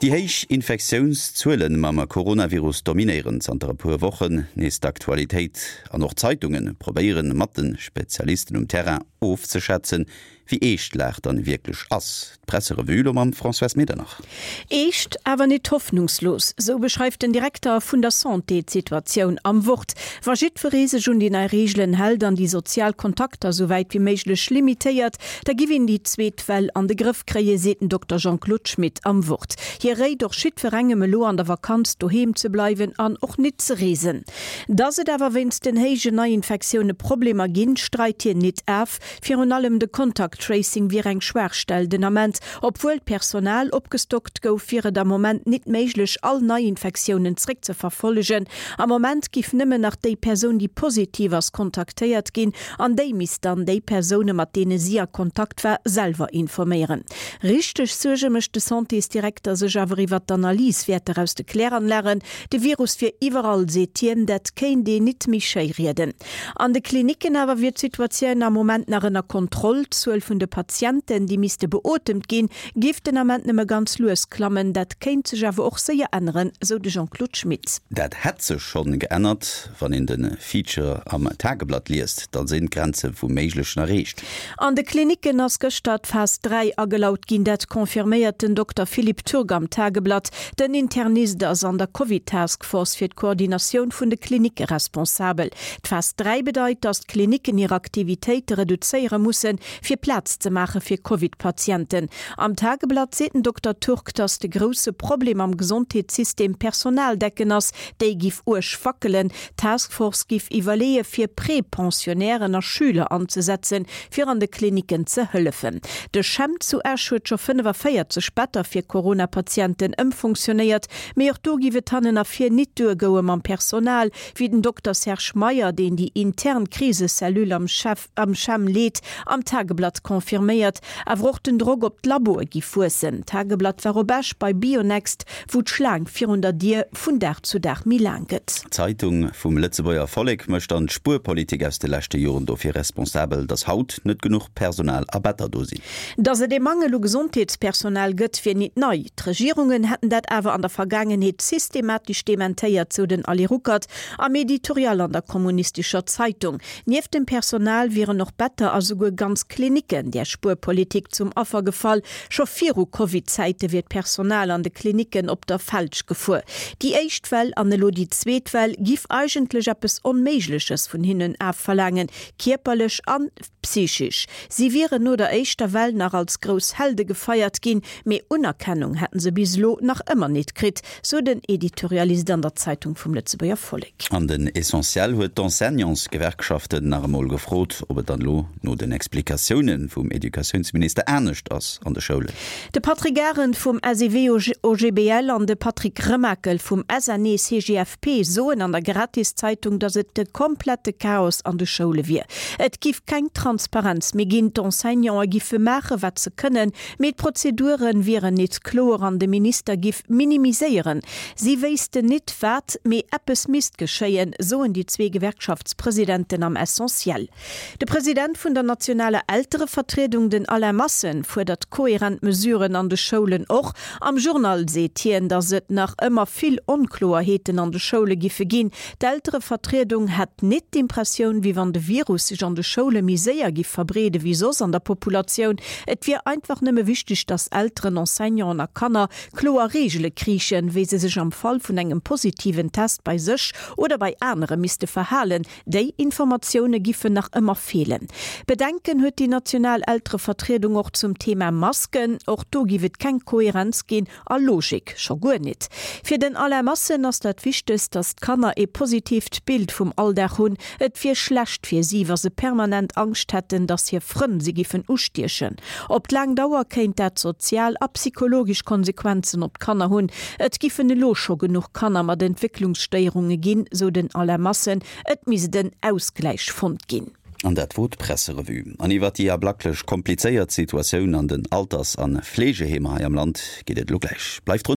Déi héich Infektiounszuele mam Coronavirus dominéieren zanter e puer Wochen nees d'Aktualitéit an och d'Zeitunge probéieren mat de Spezialisten um Terrain ofzeschätzen, wéi eescht d'Lag dann wierklech ass. D'Presserevue elo mam Françoise Medernach. Eescht, awer nit hoffnungslos, sou beschreift den Direkter vun der Santé d'Situatioun am Wort. Wa jiddweree sech un déi nei Reegelen hält an déi sozial Kontakter sou wäit wéi méiglech limitéiert, da giff een déi zweet Well an de Grëff kréien, seet den Dokter Jean-Claude Schmit am Wort. Hie réit och jiddwerengem elo an der Vakanz doheem ze bleiwen an och nit ze reesen. Dass et awer wéinst den héijen Neiinfektioune Problemer ginn, streit hien nit af. Virun allem de Contact Tracing wier eng Schwaachstell den Ament. Obwuel d'Personal opgestockt gouf, wier et am Moment nit méiglech, all Neiinfektiounen zréckzeverfollegen. Am Moment giff nëmmen nach déi Persoun, déi positiv ass, kontaktéiert ginn an déi misst dann déi Persoune mat deene si a Kontakt war, selwer informéieren. Richteg Suerge mécht de Santésdirekter sech awer iwwert d'Analyswäerter aus de Kläranlagen. De Virus wier iwwerall, seet hien, dat kéint een nit méi schéi rieden. An de Klinicken awer wier d'Situatioun am Moment nach ënner Kontroll. D'Zuel vun de Patienten, déi misste beotemt ginn, géif den Ament nëmme ganz lues klammen. Dat kéint sech awer och séier änneren, sou de Jean-Claude Schmit. Dat hätt sech schonn geännert. Wann een de Feature am Tageblatt liest, da sinn d'Grenze vum Méiglechen erreecht. An de Klinicken ass gëschter d'Phas 3 agelaut ginn. Dat confirméiert den Dokter Philippe Turk am Tageblatt. Den Internist ass an der Covid-Task Force fir d'Koordinatioun vun de Klinicke responsabel. D'Phas 3 bedeit, datt d'Klinicken hir Aktivitéite reduzéiere mussen, fir Plaz ze maache fir Covid-Patienten. Am Tageblatt seet den Dokter Turk, datt de grousse Problem am Gesondheetssystem d'Personaldecken ass. Déi giff uerg wackelen. D'Task Force giff iwwerleeë fir Prepensionnairen a Schüler anzesetzen, fir an de Klinicken ze hëllefen. De CHEM zu Esch huet scho 45 Better fir Corona-Patienten ëmfunktionéiert, mee och do giff et hannen a vir nit duer goue mam Personal, wéi den Dokter Serge Meyer, deen déi intern Krisecellule am am CHEM leet, am Tageblatt confirméiert. Awer och den Drock op d'Laboe giff wuessen. D'Tageblatt war op Esch bei Bionext, wou d'Schlaang virun der Dier vun Dag zu Dag méi laang gëtt. D'Zeitung vum Lëtzebuerger Vollek mécht dann d'Spuerpolitik aus de leschte Joren dofir responsabel, datt haut net genuch Personal a Better do sinn. Datt et ee Mangel u Gesondheetspersonal gëtt, wier nit nei. D'Regierungen hätten dat awer an der Vergaangenheet systematesch dementéiert, sou den Ali Ruckert am Editorial an der Kommunistischer Zeitung. Nieft dem Personal wieren och Better a souguer ganz Klinicken där Spuerpolitik zum Affer gefall. Scho viru Covid-Zäite wier d'Personal an de Klinicken op der Felg gefuer. Déi éischt Well an elo déi zweet Well giff eigentlech eppes Onméigleches vun hinnen afverlaangen, kierperlech an psychisch. Si wieren no der éischter Well nach als grouss Helde gefeiert ginn, mee Unerkennung hätten se bis elo nach ëmmer nit kritt, sou den Editorialist an der Zeitung vum Lëtzebuerger Vollek. An den Essentiel huet d'Enseignantsgewerkschaften nach emol gefrot, ob et dann elo no den Explikatioune vum Educatiounsminister anescht ass an de Schoulen. De Patrick Arendt vum SEW-OGBL an de Patrick Remakel vum SNE-CGFP soen an der Gratiszeitung, datt et de komplette Chaos an de Schoule wier. Et giff keng Transparenz méi ginn, d'Enseignanten giffe maache wat se kënnen, mee d'Prozedure wieren nit kloer an de Minister giff minimiséieren. Si wéissten nit wat, mee eppes misst geschéien, soen déi zwee Gewerkschaftspresidenten am Essentiel. De President vun der nationaler Elterevertriedung, den Alain Massen, fuerdert koherent Mesuren an de Schoulen. Och am Journal seet hien, datt et nach ëmmer vill Onkloerheeten an de Schoule giffe ginn. D'Elterevertriedung hätt nit d'Impressioun, wéi wann de Virus sech an de Schoule méi séier giff verbreede wéi soss an der Populatioun. Et wier einfach nëmme wichteg, datt Elteren, Enseignanten a Kanner kloer Reegele kriichen, wéi se sech am Fall vun engem positiven Test bei sech oder bei anere misste verhalen. Déi Informatioune giffen nach ëmmer feelen. Bedenken huet déi national Elterevertriedung och zum Thema Masken. Och do giff et keng Koherenz ginn a Logik scho guer nit. Fir den Alain Massen ass dat Wichtegst, datt d'Kanner ee positiivt Bild vum Alldag hunn. Et wier schlecht fir si, wa se permanent Angscht hätten, datt hir Frënn si giffen ustiechen. Op d'laang Dauer kéint dat sozial a psychologesch Konsequenzen op d'Kanner hunn. Et giffen elo scho genuch Kanner mat Entwécklungsstéierunge ginn, sou den Alain Massen. Et misst en Ausgläich fonnt ginn. An dat wor d'Presserevue. An iwwer déi ablacklech komplizéiert Situatioun an den Alters an Fleegeheemer hei am Land geet et elo gläich. Bleift drun!